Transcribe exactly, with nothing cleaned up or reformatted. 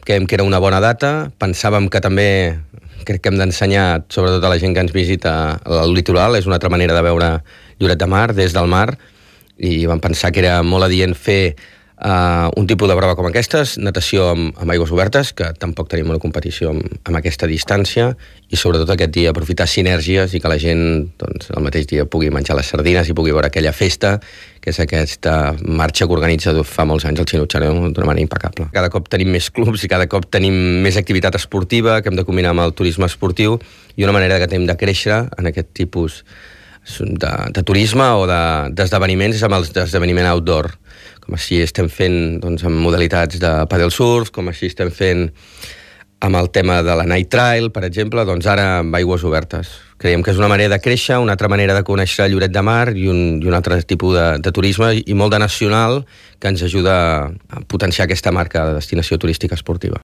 creiem que era una bona data, pensàvem que també crec que hem d'ensenyar, sobretot a la gent que ens visita, el litoral, és una altra manera de veure Lloret de Mar des del mar, i vam pensar que era molt adient fer uh, un tipus de prova com aquestes, natació amb, amb aigües obertes, que tampoc tenim una competició amb, amb aquesta distància, i sobretot aquest dia aprofitar sinergies i que la gent doncs, el mateix dia pugui menjar les sardines i pugui veure aquella festa, que és aquesta marxa que organitza fa molts anys el Xinutxareu d'una manera impecable. Cada cop tenim més clubs i cada cop tenim més activitat esportiva que hem de combinar amb el turisme esportiu, i una manera que tenim de créixer en aquest tipus de, de turisme o d'esdeveniments de, és amb els d'esdeveniment outdoor, com així estem fent doncs, amb modalitats de paddle surf, com així estem fent amb el tema de la night trail, per exemple, doncs ara amb aigües obertes. Creiem que és una manera de créixer, una altra manera de conèixer Lloret de Mar i un, i un altre tipus de, de turisme i molt de nacional que ens ajuda a potenciar aquesta marca de destinació turística esportiva.